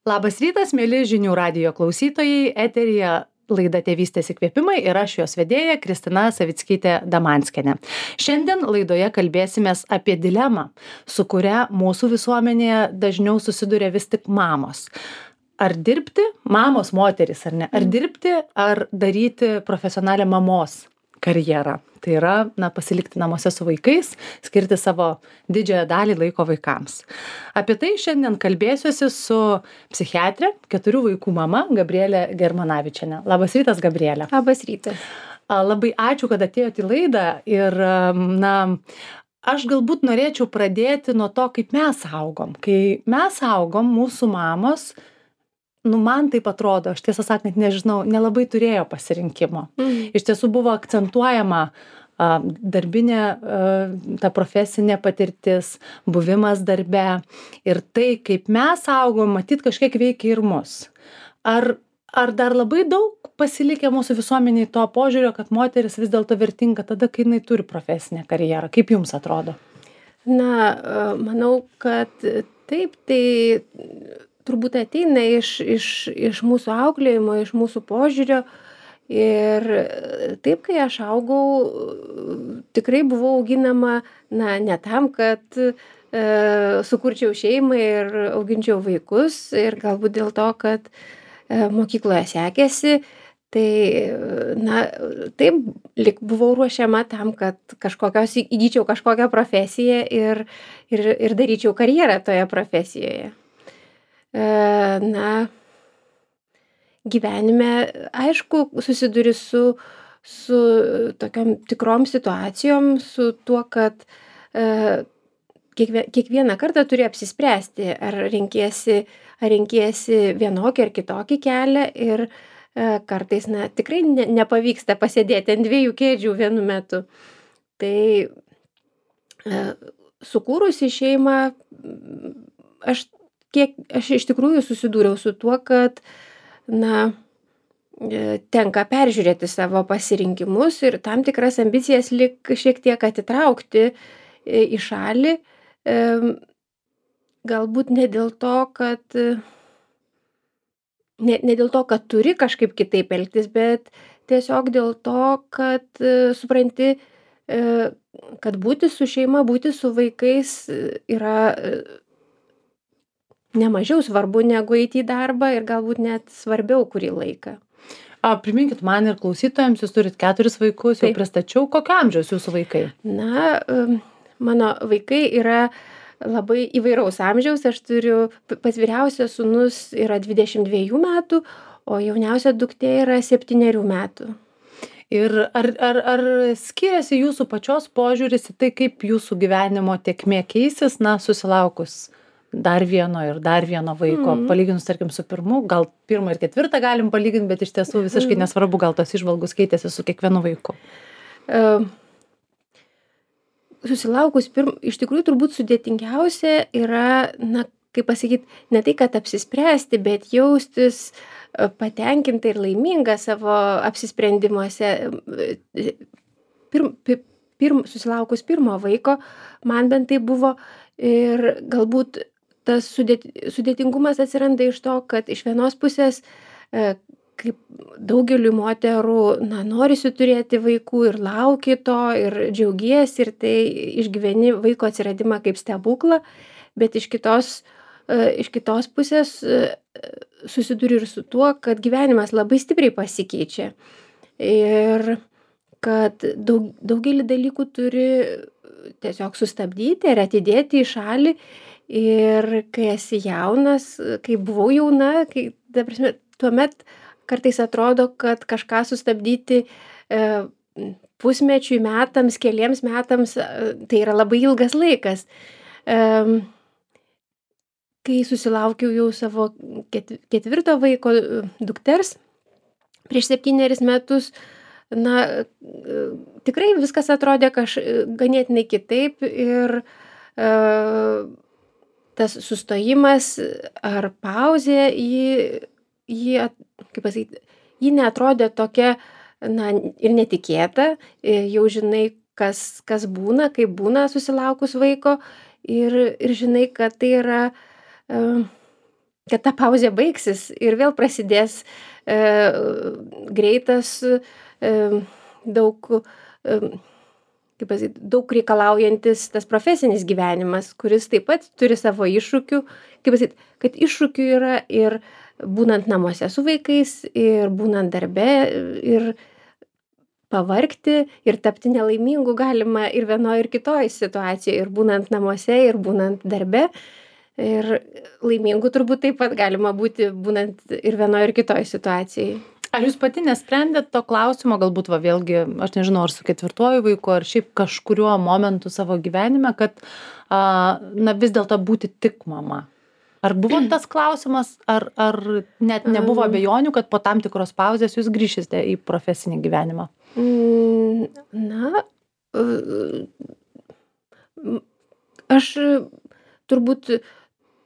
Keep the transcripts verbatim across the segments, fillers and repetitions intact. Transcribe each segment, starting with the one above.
Labas rytas, mėly žinių radijo klausytojai, eteryje laida Tėvystės įkvėpimai ir aš jos vedėja Kristina Savickytė Damanskienė. Šiandien laidoje kalbėsimės apie dilemą, su kuria mūsų visuomenėje dažniau susiduria vis tik mamos. Ar dirbti, mamos, moteris ar ne, ar dirbti, ar daryti profesionalią mamos karjerą. Tai yra, na, pasilikti namuose su vaikais, skirti savo didžiąją dalį laiko vaikams. Apie tai šiandien kalbėsiuosi su psichiatrė, keturių vaikų mama Gabrielė Germanavičienė. Labas rytas, Gabrielė. Labas rytas. Labai ačiū, kad atėjote į laidą ir, na, aš galbūt norėčiau pradėti nuo to, kaip mes augom. Kai mes augom, mūsų mamos, nu, man taip atrodo, aš tiesą sakant, nežinau, nelabai turėjo pasirinkimo. Mm. Iš tiesų buvo akcentuojama a, darbinė, a, ta profesinė patirtis, buvimas darbe ir tai, kaip mes augom, matyt, kažkiek veikia ir mus. Ar, ar dar labai daug pasilikę mūsų visuomeniai to požiūrio, kad moteris vis dėlto vertinga tada, kai jinai turi profesinę karjerą? Kaip jums atrodo? Na, manau, kad taip, tai turbūt ateina iš, iš, iš mūsų auklėjimo, iš mūsų požiūrio. Ir taip, kai aš augau, tikrai buvau auginama, na, ne tam, kad e, sukurčiau šeimą ir auginčiau vaikus. Ir galbūt dėl to, kad e, mokykloje sekėsi, tai, na, taip, lyg buvau ruošiama tam, kad kažkokios, įgyčiau kažkokią profesiją ir, ir, ir daryčiau karjerą toje profesijoje. Na, gyvenime, aišku, susiduri su, su tokiom tikrom situacijom, su tuo, kad e, kiekvieną kartą turi apsispręsti, ar renkiesi, ar renkiesi vienokį ar kitokį kelią ir e, kartais, na, tikrai ne, nepavyksta pasėdėti ant dviejų kėdžių vienu metu. Tai e, sukūrusi šeimą, aš Kiek aš iš tikrųjų susidūriau su tuo, kad, na, tenka peržiūrėti savo pasirinkimus ir tam tikras ambicijas lyg šiek tiek atitraukti į šalį. Galbūt ne dėl to, kad, ne, ne dėl to, kad turi kažkaip kitaip elgtis, bet tiesiog dėl to, kad supranti, kad būti su šeima, būti su vaikais yra nemažiau svarbu negu eiti į darbą ir galbūt net svarbiau kurį laiką. A, priminkit man ir klausytojams, jūs turit keturis vaikus, jau pristačiau, kokio amžiaus jūsų vaikai? Na, mano vaikai yra labai įvairaus amžiaus, aš turiu, pats vyriausias sūnus yra dvidešimt dviejų metų, o jauniausia duktė yra septynerių metų. Ir ar, ar, ar skiriasi jūsų pačios požiūris į tai, kaip jūsų gyvenimo tėkmė keisis, na, susilaukus dar vieno ir dar vieno vaiko, mm. palyginus, tarkim, su pirmu, gal pirmą ir ketvirtą galim palyginti, bet iš tiesų visiškai nesvarbu, gal tos įžvalgos keitėsi su kiekvienu vaiku. Uh, susilaukus pirm, iš tikrųjų turbūt sudėtingiausia yra, na, kaip pasakyti, ne tai, kad apsispręsti, bet jaustis patenkinta ir laiminga savo apsisprendimuose. Pirm, pirm, susilaukus pirmo vaiko, man bent tai buvo ir galbūt tas sudėtingumas atsiranda iš to, kad iš vienos pusės, kaip daugeliu moterų, na, norisi turėti vaikų ir lauki to, ir džiaugiesi, ir tai išgyveni vaiko atsiradimą kaip stebuklą, bet iš kitos, iš kitos pusės susiduri ir su tuo, kad gyvenimas labai stipriai pasikeičia. Ir kad daug, daugelį dalykų turi tiesiog sustabdyti ir atidėti į šalį. Ir kai esi jaunas, kai buvau jauna, kai, ta prasme, tuomet kartais atrodo, kad kažką sustabdyti e, pusmečiui, metams, keliems metams, tai yra labai ilgas laikas. E, kai susilaukiau jau savo ketvirto vaiko dukters prieš septynerius metus, na, tikrai viskas atrodė kaž, ganėtinai kitaip ir e, tas sustojimas ar pauzė, jį, jį, kaip pasakyti, jį neatrodė tokia, na, ir netikėta, jau žinai, kas, kas būna, kaip būna susilaukus vaiko ir, ir žinai, kad tai yra, kad ta pauzė baigsis ir vėl prasidės e, greitas, e, daug, e, kaip pasakyti, daug reikalaujantis tas profesinis gyvenimas, kuris taip pat turi savo iššūkių. Kaip pasakyti, kad iššūkių yra ir būnant namuose su vaikais, ir būnant darbe, ir pavargti, ir tapti nelaimingu galima ir vienoje, ir kitoje situacijoje, ir būnant namuose, ir būnant darbe. Ir laimingu turbūt taip pat galima būti būnant ir vienoje, ir kitoje situacijoje. Ar jūs pati nesprendėt to klausimo, galbūt va vėlgi, aš nežinau, ar su ketvirtuoju vaiku, ar šiaip kažkuriuo momentu savo gyvenime, kad a, na vis dėlto būti tik mama? Ar buvo tas klausimas, ar, ar net nebuvo abejonių, kad po tam tikros pauzės jūs grįšite į profesinį gyvenimą? Na, aš turbūt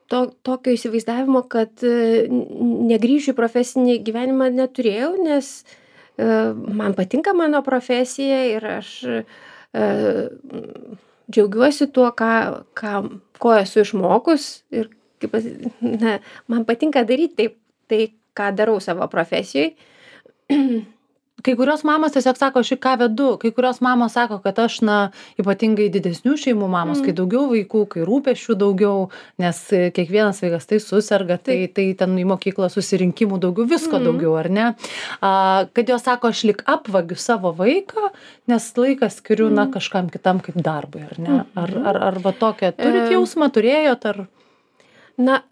to, tokio įsivaizdavimo, kad negrįšiu į profesinį gyvenimą neturėjau, nes man patinka mano profesija ir aš džiaugiuosi tuo, ką, ką, ko esu išmokus ir kaip, na, man patinka daryti taip, tai, ką darau savo profesijoje. Kai kurios mamos tiesiog sako, aš į ką vedu, kai kurios mamos sako, kad aš, na, ypatingai didesnių šeimų mamos, mm. kai daugiau vaikų, kai rūpesčių daugiau, nes kiekvienas vaikas tai susirga, tai, tai ten į mokyklą susirinkimų daugiau, visko mm. daugiau, ar ne? A, kad jos sako, aš lik apvagiu savo vaiką, nes laiką skiriu, mm. na, kažkam kitam kaip darbui, ar ne? Ar, ar, ar va tokia, turit jausmą, turėjot, ar... Na,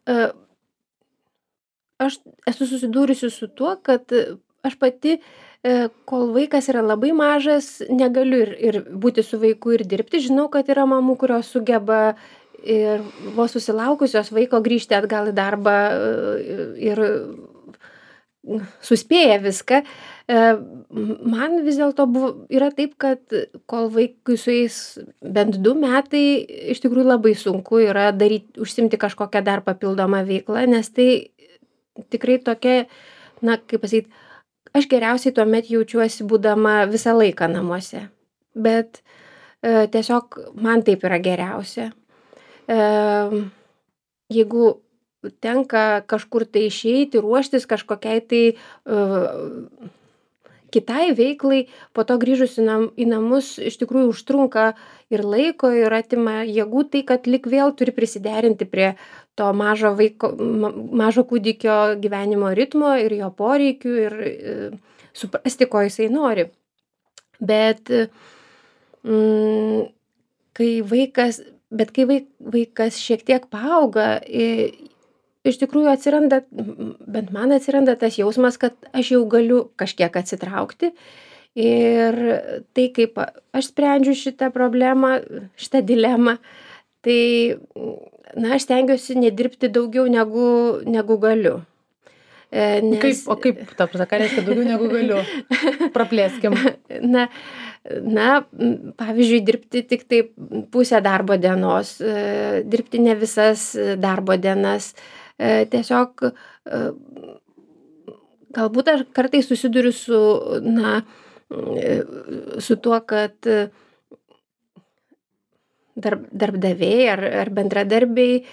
aš esu susidūrusi su tuo, kad aš pati, kol vaikas yra labai mažas, negaliu ir, ir būti su vaiku ir dirbti. Žinau, kad yra mamų, kurios sugeba ir vos susilaukusios vaiko grįžti atgal į darbą ir suspėja viską. Man vis dėlto buvo, yra taip, kad kol vaikui sueis bent du metai, iš tikrųjų labai sunku yra daryti, užsimti kažkokią dar papildomą veiklą, nes tai tikrai tokia, na, kaip pasakyti, aš geriausiai tuomet jaučiuosi būdama visą laiką namuose. Bet e, tiesiog man taip yra geriausia. E, jeigu tenka kažkur tai išeiti, ruoštis kažkokiai tai uh, kitai veiklai, po to grįžus į, nam, į namus iš tikrųjų užtrunka ir laiko, ir atima jėgų, tai kad lik vėl turi prisiderinti prie to mažo, vaiko, ma, mažo kūdikio gyvenimo ritmo ir jo poreikių ir uh, suprasti, ko jisai nori. Bet, mm, kai vaikas, bet kai vaik, vaikas šiek tiek paauga, i, iš tikrųjų atsiranda, bent man atsiranda tas jausmas, kad aš jau galiu kažkiek atsitraukti. Ir tai, kaip aš sprendžiu šitą problemą, šitą dilemą, tai, na, aš stengiuosi nedirbti daugiau negu, negu galiu. Nes... Kaip, o kaip, ta prasme, ką reiškia daugiau negu galiu? Praplėskim. Na, na, pavyzdžiui, dirbti tik tai pusę darbo dienos, dirbti ne visas darbo dienas. Tiesiog galbūt aš kartais susiduriu su, na, su tuo, kad darb, darbdaviai ar, ar bendradarbiai,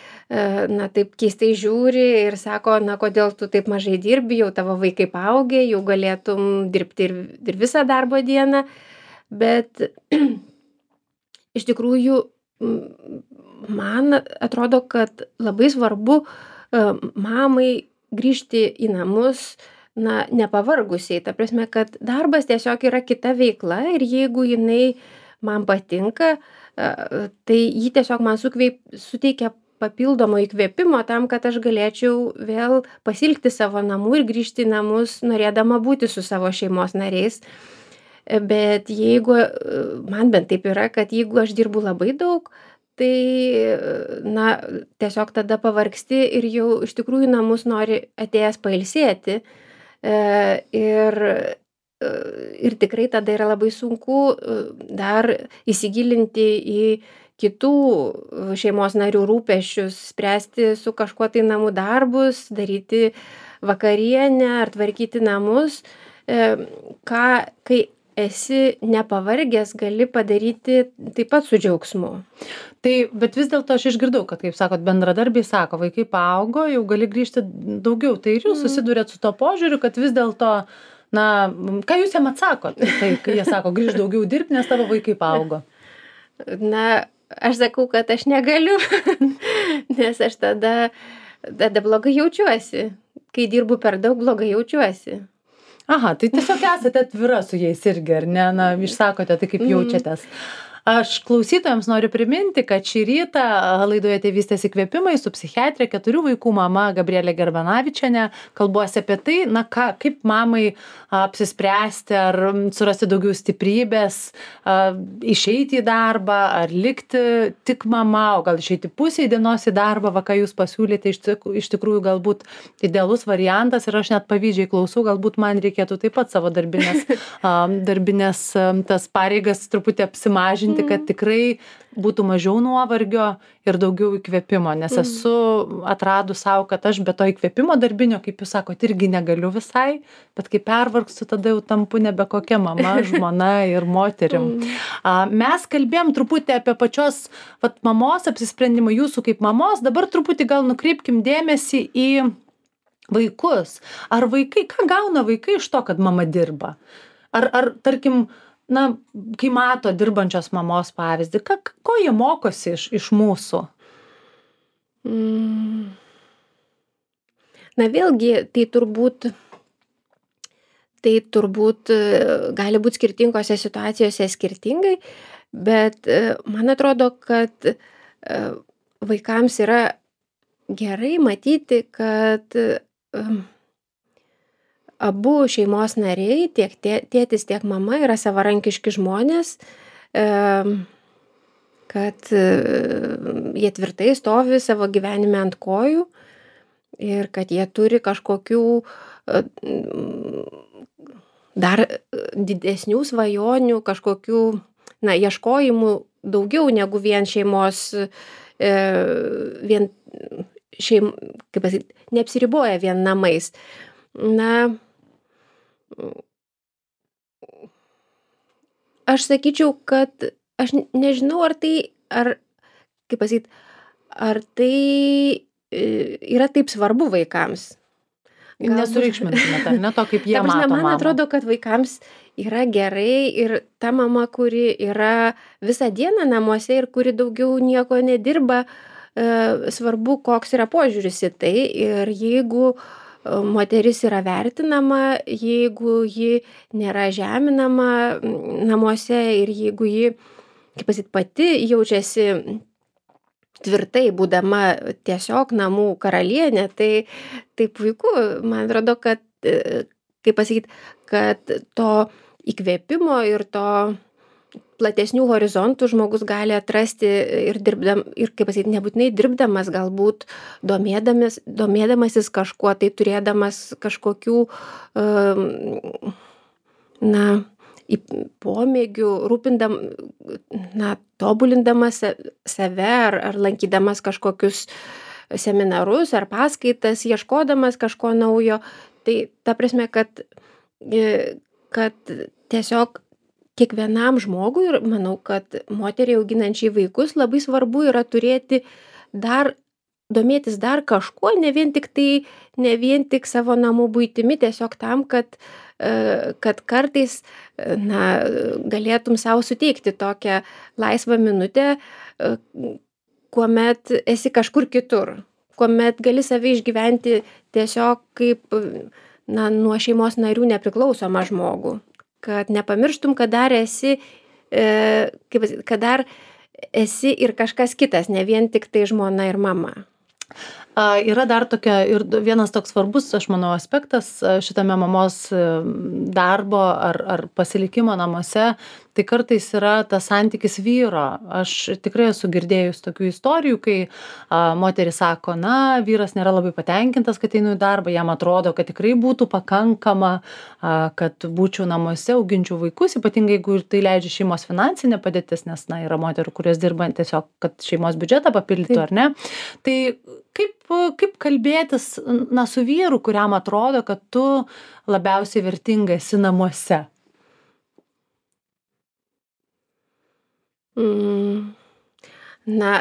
na, taip keistai žiūri ir sako, na, kodėl tu taip mažai dirbi, jau tavo vaikai paaugę, jau galėtum dirbti ir, ir visą darbo dieną. Bet iš tikrųjų man atrodo, kad labai svarbu mamai grįžti į namus, na, nepavargusiai. Ta prasme, kad darbas tiesiog yra kita veikla ir jeigu jinai man patinka, tai jį tiesiog man sukveip, suteikia papildomo įkvėpimo tam, kad aš galėčiau vėl pasilgti savo namų ir grįžti į namus, norėdama būti su savo šeimos nariais. Bet jeigu, man bent taip yra, kad jeigu aš dirbu labai daug, tai, na, tiesiog tada pavargsti ir jau iš tikrųjų namus nori atėjęs pailsėti. Ir, ir tikrai tada yra labai sunku dar įsigilinti į kitų šeimos narių rūpesčius, spręsti su kažkuo tai namų darbus, daryti vakarienę ar tvarkyti namus. Ką, kai esi nepavargęs, gali padaryti taip pat su džiaugsmu. Tai, bet vis dėlto aš išgirdau, kad, kaip sakot, bendradarbiai sako, vaikai paaugo, jau gali grįžti daugiau. Tai ir jūs susidurėt su to požiūriu, kad vis dėlto, na, ką jūs jam atsakot? Tai, kai jie sako, grįž daugiau dirbti, nes tavo vaikai paaugo. Na, aš sakau, kad aš negaliu, nes aš tada, tada blogai jaučiuosi. Kai dirbu per daug, blogai jaučiuosi. Aha, tai tiesiog esate atvira su jais irgi, ar ne? Na, išsakote tai, kaip jaučiatės. Aš klausytojams noriu priminti, kad šį rytą laidoje Tėvystės įkvėpimai su psichiatrė, keturių vaikų mama Gabrielė Gerbanavičienė kalbuosi apie tai, na ką, kaip mamai apsispręsti, ar surasti daugiau stiprybės, išeiti į darbą, ar likti tik mama, o gal išeiti pusę dienos į darbą, va ką jūs pasiūlėte, iš, tik, iš tikrųjų galbūt idealus variantas ir aš net pavyzdžiai klausau, galbūt man reikėtų taip pat savo darbinės, darbinės tas pareigas truputį apsimažinti, kad tikrai būtų mažiau nuovargio ir daugiau įkvėpimo, nes esu atradus savo, kad aš be to įkvėpimo darbinio, kaip jūs sakote, irgi negaliu visai, bet kai pervargstu, tada jau tampu nebe kokia mama, žmona ir moterim. Mes kalbėjom truputį apie pačios vat, mamos apsisprendimą, jūsų kaip mamos, dabar truputį gal nukreipkim dėmesį į vaikus. Ar vaikai, ką gauna vaikai iš to, kad mama dirba? Ar, ar tarkim, na, kai mato dirbančios mamos pavyzdį, ką, ko jie mokosi iš, iš mūsų? Mm. Na vėlgi, tai turbūt, tai turbūt gali būti skirtingose situacijose skirtingai, bet man atrodo, kad vaikams yra gerai matyti, kad abu šeimos nariai, tiek tėtis, tiek mama yra savarankiški žmonės, kad jie tvirtai stovi savo gyvenime ant kojų ir kad jie turi kažkokių dar didesnių svajonių, kažkokių, na, ieškojimų daugiau negu vien šeimos, vien šeim, kaip pasakyti, neapsiriboja vien namais. Na, aš sakyčiau, kad aš nežinau, ar tai, ar, kaip pasakyti, ar tai yra taip svarbu vaikams. Nesureikšmintumėte, ar ne to, kaip jie mato mamą. Man atrodo, kad vaikams yra gerai ir ta mama, kuri yra visą dieną namuose ir kuri daugiau nieko nedirba, svarbu, koks yra požiūris į tai. Ir jeigu moteris yra vertinama, jeigu ji nėra žeminama namuose ir jeigu ji, kaip pasakyti, pati jaučiasi tvirtai, būdama tiesiog namų karalienė, tai, tai puiku. Man atrodo, kad, kaip pasakyti, kad to įkvėpimo ir to platesnių horizontų žmogus gali atrasti ir dirbdam, ir, kaip pasakyti, nebūtinai dirbdamas, galbūt domėdamas, domėdamasis kažkuo, tai turėdamas kažkokių, na, pomėgių, rūpindam, na, tobulindamas save ar, ar lankydamas kažkokius seminarus ar paskaitas, ieškodamas kažko naujo. Tai ta prasme, kad, kad tiesiog kiekvienam žmogui, ir manau, kad moteriai auginančiai vaikus labai svarbu yra turėti dar, domėtis dar kažkuo, ne vien tik tai, ne vien tik savo namų buitimi, tiesiog tam, kad, kad kartais, na, galėtum savo suteikti tokią laisvą minutę, kuomet esi kažkur kitur, kuomet gali save išgyventi tiesiog kaip, na, nuo šeimos narių nepriklausomą žmogų. Kad nepamirštum, kad dar esi, kaip, kad dar esi ir kažkas kitas, ne vien tik tai žmona ir mama. A, yra dar tokia ir vienas toks svarbus, aš manau, aspektas šitame mamos darbo ar, ar pasilikimo namuose, tai kartais yra tas santykis vyro. Aš tikrai esu girdėjus tokių istorijų, kai a, moteris sako, na, vyras nėra labai patenkintas, kad einu į darbą, jam atrodo, kad tikrai būtų pakankama, a, kad būčiau namuose, auginčiau vaikus, ypatingai jeigu tai leidžia šeimos finansinė padėtis, nes, na, yra moterų, kurios dirba tiesiog, kad šeimos biudžetą papildytų, ar ne. Tai kaip, kaip kalbėtis, na, su vyru, kuriam atrodo, kad tu labiausiai vertinga esi namuose? Mm, na,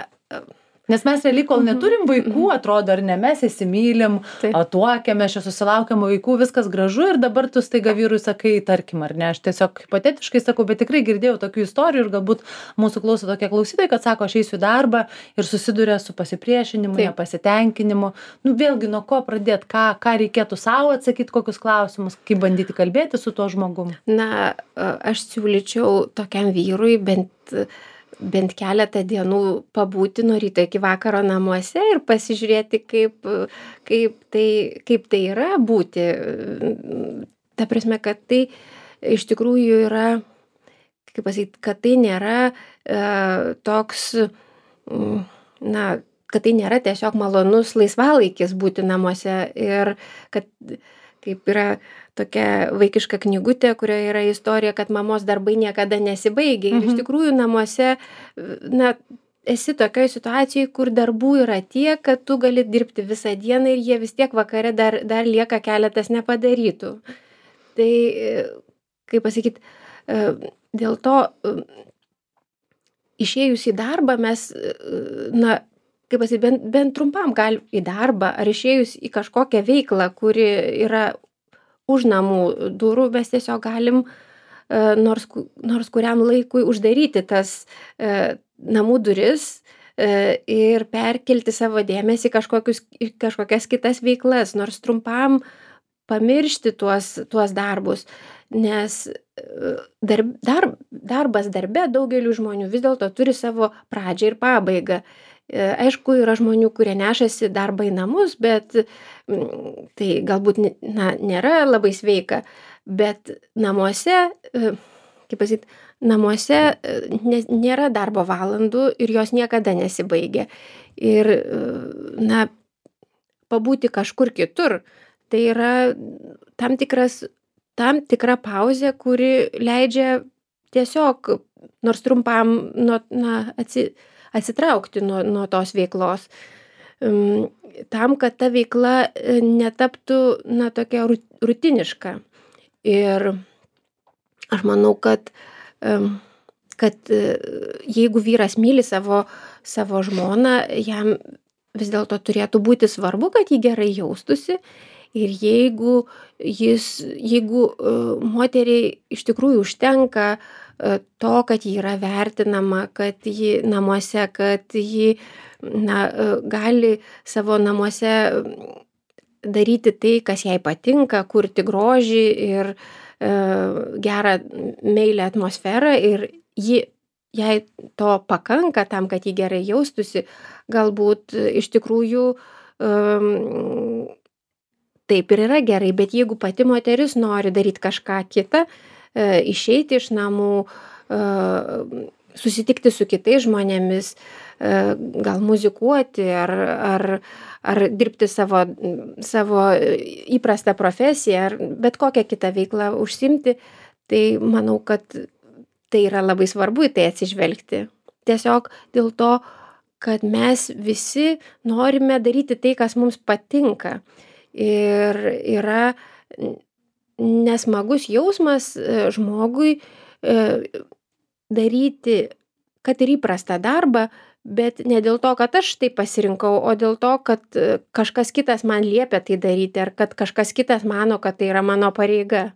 Nes mes realiai, kol neturim vaikų, atrodo, ar ne, mes įsimylim, Taip. tuokiamės, čia susilaukiam vaikų, viskas gražu ir dabar tu staiga vyrui sakai, tarkim, ar ne, aš tiesiog hipotetiškai sakau, bet tikrai girdėjau tokių istorijų ir galbūt mūsų klauso tokie klausytojai, kad sako, aš eisiu į darbą ir susiduria su pasipriešinimu, Taip. nepasitenkinimu. Nu, vėlgi, nuo ko pradėti, ką, ką reikėtų savo atsakyti, kokius klausimus, kaip bandyti kalbėti su tuo žmogum. Na, aš siūlyčiau tokiam vyrui bent bent keletą dienų pabūti nuo ryto iki vakaro namuose ir pasižiūrėti, kaip, kaip, tai, kaip tai yra būti. Ta prasme, kad tai iš tikrųjų yra, kaip pasakyti, kad tai nėra e, toks, na, kad tai nėra tiesiog malonus laisvalaikis būti namuose ir kad kaip yra tokia vaikiška knygutė, kurioje yra istorija, kad mamos darbai niekada nesibaigia. Mhm. Ir iš tikrųjų namuose, na, esi tokioje situacijoje, kur darbų yra tiek, kad tu gali dirbti visą dieną ir jie vis tiek vakare dar, dar lieka keletas nepadarytų. Tai, kaip pasakyti, dėl to išėjus į darbą mes, na, kaip pasakyti, bent, bent trumpam gal į darbą ar išėjus į kažkokią veiklą, kuri yra už namų durų, mes tiesiog galim nors, nors kuriam laikui uždaryti tas namų duris ir perkelti savo dėmesį kažkokius, kažkokias kitas veiklas, nors trumpam pamiršti tuos, tuos darbus, nes darb, darb, darbas darbe daugeliu žmonių vis dėlto turi savo pradžią ir pabaigą. Aišku, yra žmonių, kurie nešasi darbą į namus, bet tai galbūt, na, nėra labai sveika, bet namuose, kaip pasakyti, namuose nėra darbo valandų ir jos niekada nesibaigia. Ir, na, pabūti kažkur kitur, tai yra tam tikras, tam tikra pauzė, kuri leidžia tiesiog, nors trumpam, nu, na, atsi, atsitraukti nuo, nuo tos veiklos. Tam, kad ta veikla netaptų, na, tokia rutiniška. Ir aš manau, kad, kad jeigu vyras myli savo, savo žmoną, jam vis dėlto turėtų būti svarbu, kad jį gerai jaustųsi. Ir jeigu jis, jeigu moteriai iš tikrųjų užtenka to, kad ji yra vertinama, kad ji namuose, kad ji, na, gali savo namuose daryti tai, kas jai patinka, kurti grožį ir e, gerą meilią atmosferą ir ji, jai to pakanka tam, kad ji gerai jaustųsi, galbūt iš tikrųjų um, taip ir yra gerai, bet jeigu pati moteris nori daryti kažką kitą, išeiti iš namų, susitikti su kitais žmonėmis, gal muzikuoti ar, ar, ar dirbti savo, savo įprastą profesiją ar bet kokią kitą veiklą užsimti, tai manau, kad tai yra labai svarbu į tai atsižvelgti. Tiesiog dėl to, kad mes visi norime daryti tai, kas mums patinka. Ir yra nesmagus jausmas žmogui daryti, kad ir įprastą darbą, bet ne dėl to, kad aš tai pasirinkau, o dėl to, kad kažkas kitas man liepia tai daryti, ar kad kažkas kitas mano, kad tai yra mano pareiga.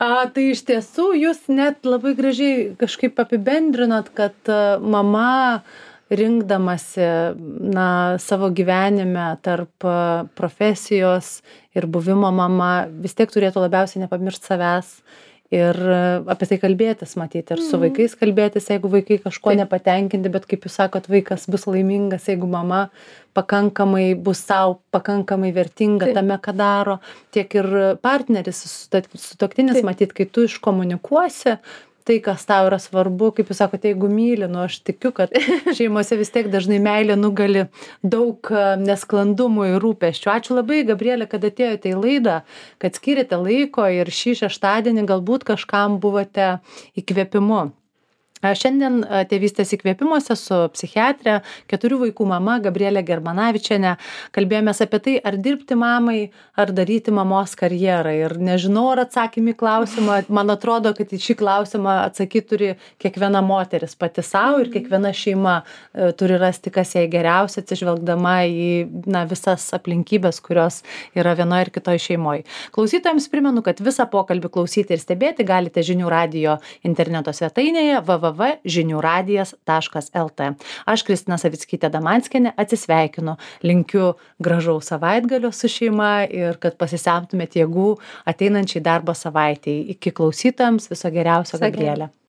A, tai iš tiesų jūs net labai gražiai kažkaip apibendrinot, kad mama rinkdamasi, na, savo gyvenime tarp profesijos ir buvimo mama vis tiek turėtų labiausiai nepamiršti savęs ir apie tai kalbėtis, matyti, ir su vaikais kalbėtis, jeigu vaikai kažko nepatenkinti, bet kaip jūs sakot, vaikas bus laimingas, jeigu mama pakankamai bus savo pakankamai vertinga tame, ką daro, tiek ir partneris, sutuoktinis, matyt, kai tu iškomunikuosi tai, kas tau yra svarbu, kaip jūs sakote, jeigu myli, nu aš tikiu, kad šeimose vis tiek dažnai meilė nugali daug nesklandumų ir rūpesčių. Ačiū labai, Gabrielė, kad atėjote į laidą, kad skyrėte laiko ir šį šeštadienį galbūt kažkam buvote įkvėpimu. Šiandien tėvystės įkvėpimuose su psichiatre, keturių vaikų mama Gabrielė Germanavičienė kalbėjomės apie tai, ar dirbti mamai, ar daryti mamos karjerą. Ir nežinau, ar atsakymį klausimą, man atrodo, kad į šį klausimą atsakyti turi kiekviena moteris pati savo ir kiekviena šeima turi rasti, kas jai geriausia, atsižvelgdama į na, visas aplinkybės, kurios yra vienoje ir kitoje šeimoje. Klausytojams primenu, kad visą pokalbį klausyti ir stebėti galite Žinių radijo interneto svetainėje w w w taškas žinių radijas taškas l t. Aš Kristina Savickytė Damanskienė atsisveikinu, linkiu gražaus savaitgalio su šeima ir kad pasisemtumėt jėgų ateinančiai darbo savaitei. Iki klausytojams viso geriausio, Gabrielė.